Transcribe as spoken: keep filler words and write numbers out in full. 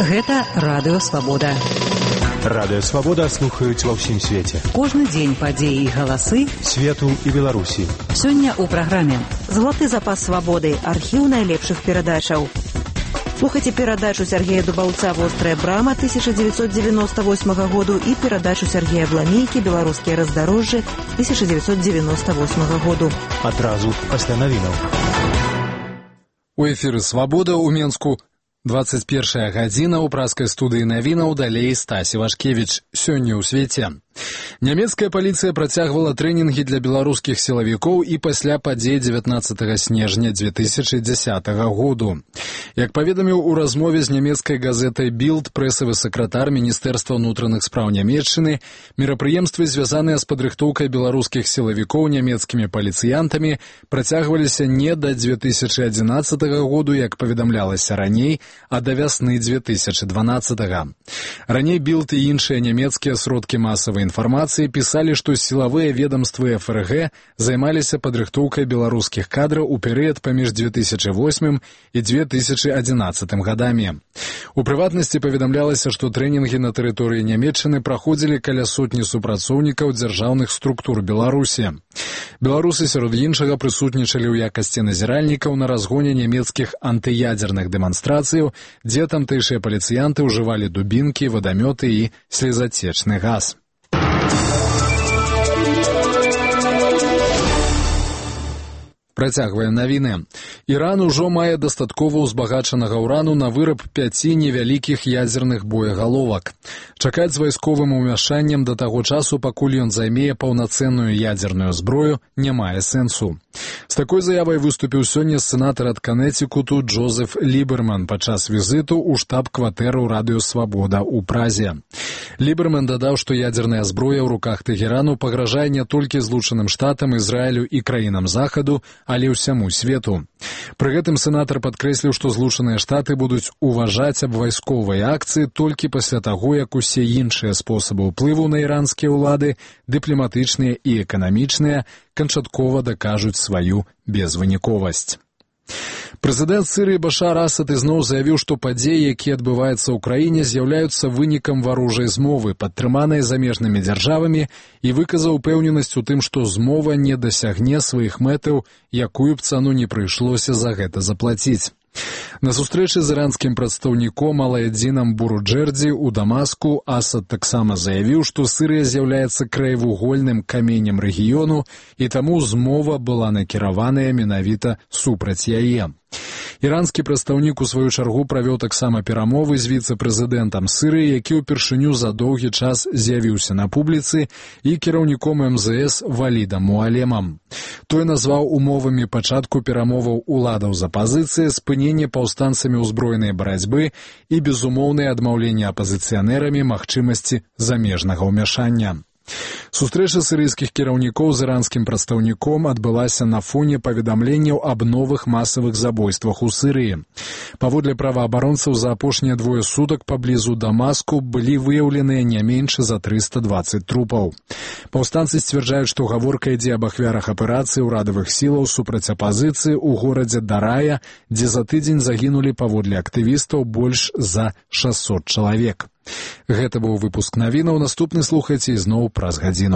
Гэта Радыё Свабода. Радыё Свабода слухаюць ва ўсім свеце. Кожны дзень падзеі і галасы свету і Беларусі. Сёння ў праграме «Златы запас свабоды» – архіў найлепшых перадачаў. Слухайце перадачу Сергея Дубаўца «Вострая брама» тысяча дзевяцьсот девяносто восьмага году і перадачу Сергея Бламейкі «Беларускія раздарожжы» тысяча дзевяцьсот девяносто восьмага году. Адразу пасля навінаў. У эфіры «Свабода» ў Менску. двадцать первая гадзіна ў праскай студыі навінаў, далей Стасі Вашкевіч. Сёння ў свеце. Нямецкая паліцыя працягвала трэнінгі для беларускіх сілавікоў і пасля падзей дзевятнаццатага снежня дзве тысячы дзесятага году. Як паведаміў у размове з нямецкай газетай «Білд» прэсавы сакратар Міністэрства ўнутраных спраў Нямецчыны, мерапрыемствы, звязаныя з падрыхтоўкай беларускіх сілавікоў нямецкімі паліцыянтамі, працягваліся не да дзве тысячы адзінаццатага году, як паведамлялася раней, а да вясны дзве тысячы дванаццатага. Раней «Білд» і іншыя нямецкія сродкі масавай інфармацыі пісалі, што сілавыя ведамствы эф эр гэ займаліся падрыхтоўкай беларускіх кадраў у перыяд паміж дзве тысячы восьмым і дзве тысячы адзінаццатым гадамі. У прыватнасці паведамлялася, што трэнінгі на тэрыторыі Нямецчыны праходзілі каля сотні супрацоўнікаў дзяржаўных структур Беларусі. Беларусы сярод іншага прысутнічалі ў якасці назіральнікаў на разгоне нямецкіх антыядзерных дэманстрацыяў, дзе тамтэйшыя паліцыянты ўжывалі дубінкі, вадамёты і слезацечны газ. Працягваем навіны. Іран ужо мае дастаткова ўзбагачанага ўрану на выраб пяці невялікіх ядзерных боегаловак. Чакаць з вайсковым умяшаннем да таго часу, пакуль ён займее паўнацэнную ядзерную зброю, не мае сэнсу. З такой заявай выступіў сёння сенатар ад Канетикуту Джозеф Ліберман падчас візіту ў штаб-кватэру Радыё Свабода ў Празе. Ліберман дадаў, што ядзерная зброя ў руках Тэгерану пагражае не толькі Злучаным Штатам, Ізраілю і краінам Захаду, але ўсяму свету. Пры гэтым сенатар падкрэсліў, што Злучаныя Штаты будуць уважаць абвайсковыя акцыі толькі пасля таго, як усе іншыя спосабы ўплыву на іранскія ўлады, дыпламатычныя і эканамічныя, канчаткова дакажуць сваю безвыніковасць. Прэзідэнт Сірыі Башар Асад ізноў заявіў, што падзеі, якія адбываюцца ў краіне, з'яўляюцца вынікам варожай змовы, падтрыманай замежнымі дзяржавамі, і выказаў упэўненасць у тым, што змова не дасягне сваіх мэтаў, якую б цану не прыйшлося за гэта заплаціць. На сустрэчы з іранскім прадстаўніком Алаэдзінам Буруджэрдзі ў Дамаску Асад таксама заявіў, што Сірыя з'яўляецца краевугольным каменем рэгіёну, і таму змова была накіраваная менавіта супраць яе. Іранскі прадстаўнік у сваю чаргу правёў таксама перамовы з віцэ-прэзідэнтам Сірыі, які ўпершыню за доўгі час з'явіўся на публіцы, і кіраўніком эм зэ эс Валідам Муалемам. Той назваў умовамі пачатку перамоваў уладаў з апазіцыяй спыненне паўстанцамі ўзброенай барацьбы і безумоўнае адмаўленне апазіцыянэрамі магчымасці замежнага ўмяшання. Сустрэча сірыйскіх кіраўнікоў з іранскім прадстаўніком адбылася на фоне паведамленняў аб новых масавых забойствах у Сірыі. Паводле праваабаронцаў, за апошнія двое сутак паблізу Дамаску былі выяўленыя не менш за трыста дваццаць трупаў. Паўстанцы сцвярджаюць, што гаворка ідзе аб ахвярах аперацыі ўрадавых сілаў супраць апазіцыі ў горадзе Дарая, дзе за тыдзень загінулі паводле актывістаў больш за шасцьсот чалавек. Гэта быў выпуск навінаў, наступны слухайце ізноў праз гадзіну.